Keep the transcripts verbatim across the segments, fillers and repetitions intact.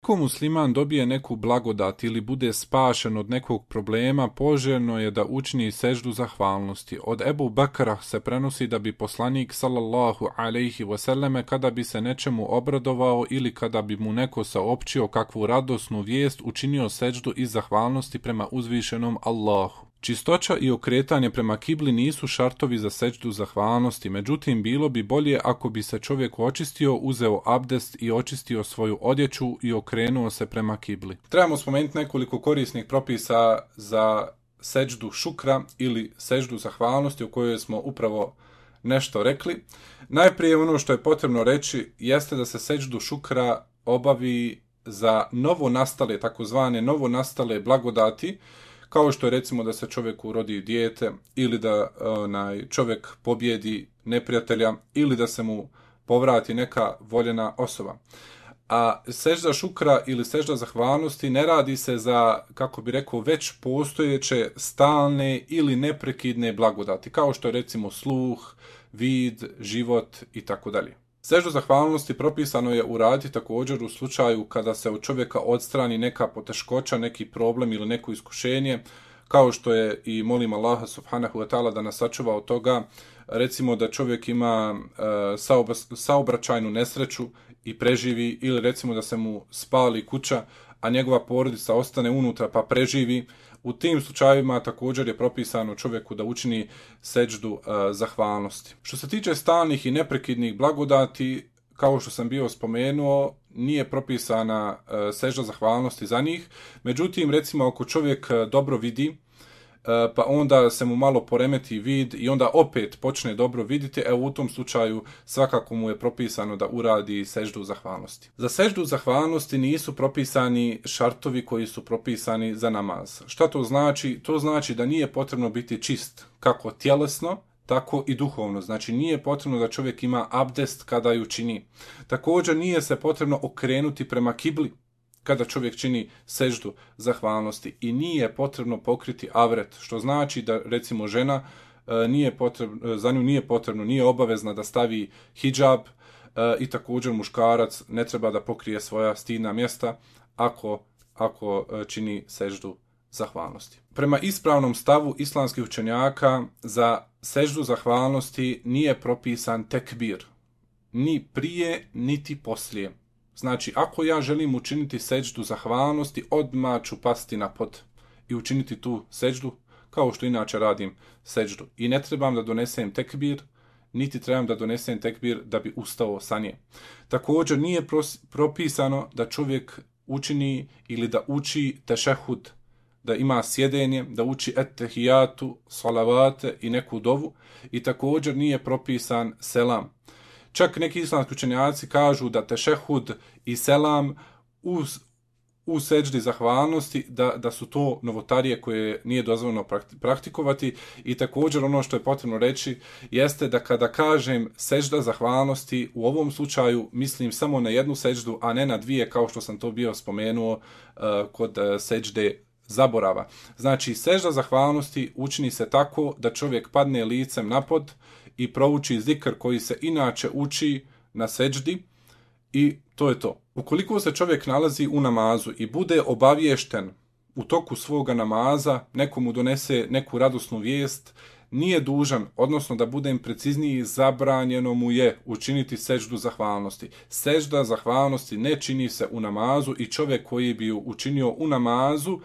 Ako musliman dobije neku blagodat ili bude spašen od nekog problema, poželjno je da učini seždu zahvalnosti. Od Ebu Bekra se prenosi da bi poslanik sallallahu alejhi ve selleme kada bi se nečemu obradovao ili kada bi mu neko saopćio kakvu radosnu vijest, učinio seždu iz zahvalnosti prema uzvišenom Allahu. Čistoća i okretanje prema kibli nisu šartovi za sećdu zahvalnosti, međutim bilo bi bolje ako bi se čovjek očistio, uzeo abdest i očistio svoju odjeću i okrenuo se prema kibli. Trebamo spomenuti nekoliko korisnih propisa za sećdu šukra ili sećdu zahvalnosti o kojoj smo upravo nešto rekli. Najprije ono što je potrebno reći jeste da se sećdu šukra obavi za novo nastale, takozvane novo nastale blagodati, kao što je recimo da se čovjeku rodi dijete ili da onaj, čovjek pobjedi neprijatelja ili da se mu povrati neka voljena osoba. A sežda šukra ili sežda zahvalnosti ne radi se za, kako bi rekao, već postojeće stalne ili neprekidne blagodati, kao što je recimo sluh, vid, život i tako dalje. Seždu zahvalnosti propisano je uraditi također u slučaju kada se od čovjeka odstrani neka poteškoća, neki problem ili neko iskušenje, kao što je i molim Allaha subhanahu wa ta'ala da nas sačuva od toga, recimo da čovjek ima e, saobraćajnu nesreću i preživi, ili recimo da se mu spali kuća, a njegova porodica ostane unutra pa preživi. U tim slučajevima također je propisano čovjeku da učini sećdu e, zahvalnosti. Što se tiče stalnih i neprekidnih blagodati, kao što sam bio spomenuo, nije propisana e, sećda zahvalnosti za njih. Međutim, recimo ako čovjek dobro vidi, e, pa onda se mu malo poremeti vid i onda opet počne dobro vidjeti, evo u tom slučaju svakako mu je propisano da uradi sećdu zahvalnosti. Za sećdu zahvalnosti nisu propisani šartovi koji su propisani za namaz. Šta to znači? To znači da nije potrebno biti čist kako tjelesno, tako i duhovno. Znači nije potrebno da čovjek ima abdest kada ju čini. Također nije se potrebno okrenuti prema kibli kada čovjek čini sećdu zahvalnosti i nije potrebno pokriti avret, što znači da recimo žena e, nije potrebno, za nju nije potrebno, nije obavezna da stavi hidžab e, i također muškarac ne treba da pokrije svoja stidna mjesta ako, ako čini sećdu zahvalnosti. Prema ispravnom stavu islamskih učenjaka za sećdu zahvalnosti nije propisan tekbir, ni prije niti poslije. Znači, ako ja želim učiniti sećdu zahvalnosti, odmah ću pasti na pod i učiniti tu sećdu, kao što inače radim sećdu. I ne trebam da donesem tekbir, niti trebam da donesem tekbir da bi ustao sa nje. Također nije propisano da čovjek učini ili da uči tešehud, da ima sjedenje, da uči ettehijatu, salavate i neku dovu, i također nije propisan selam. Čak neki islamski učenjaci kažu da tešehud i selam u, u sećdi zahvalnosti, da, da su to novotarije koje nije dozvoljeno praktikovati. I također ono što je potrebno reći jeste da kada kažem sećda zahvalnosti, u ovom slučaju mislim samo na jednu sećdu, a ne na dvije, kao što sam to bio spomenuo uh, kod uh, sećde zaborava. Znači, sećda zahvalnosti učini se tako da čovjek padne licem na pod i prouči zikr koji se inače uči na sećdi i to je to. Ukoliko se čovjek nalazi u namazu i bude obaviješten u toku svoga namaza, neko mu donese neku radosnu vijest, nije dužan, odnosno da budem precizniji, zabranjeno mu je učiniti sećdu zahvalnosti. Sećda zahvalnosti ne čini se u namazu i čovjek koji bi ju učinio u namazu,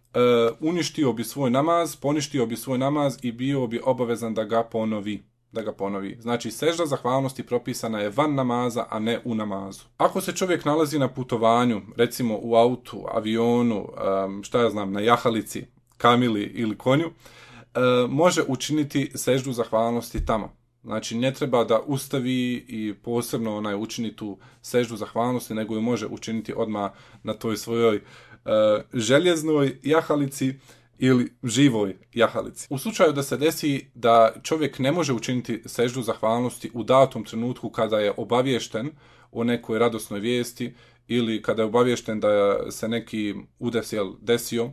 Uh, uništio bi svoj namaz, poništio bi svoj namaz i bio bi obavezan da ga ponovi. Da ga ponovi. Znači, sećda zahvalnosti propisana je van namaza, a ne u namazu. Ako se čovjek nalazi na putovanju, recimo u autu, avionu, um, šta ja znam, na jahalici, kamili ili konju, uh, može učiniti sećdu zahvalnosti tamo. Znači, ne treba da ustavi i posebno onaj učini tu sećdu zahvalnosti, nego ju može učiniti odmah na toj svojoj Uh, željeznoj jahalici ili živoj jahalici. U slučaju da se desi da čovjek ne može učiniti sećdu zahvalnosti u datom trenutku kada je obaviješten o nekoj radosnoj vijesti ili kada je obaviješten da se neki udes jel, desio,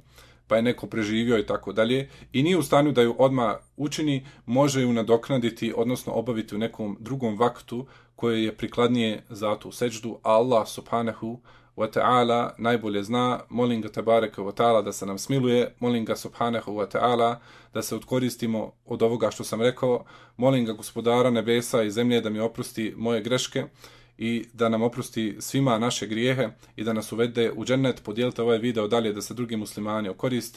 pa je neko preživio i tako dalje, i nije u stanju da ju odmah učini, može ju nadoknaditi, odnosno obaviti u nekom drugom vaktu koje je prikladnije za tu sećdu, a Allah subhanahu wa ta'ala najbolje zna. Molim ga tebareke wa ta'ala da se nam smiluje, molim ga subhanahu wa ta'ala da se odkoristimo od ovoga što sam rekao, molim ga gospodara nebesa i zemlje da mi oprosti moje greške i da nam oprosti svima naše grijehe i da nas uvede u džennet. Podijelite ovaj video dalje da se drugi muslimani okoriste.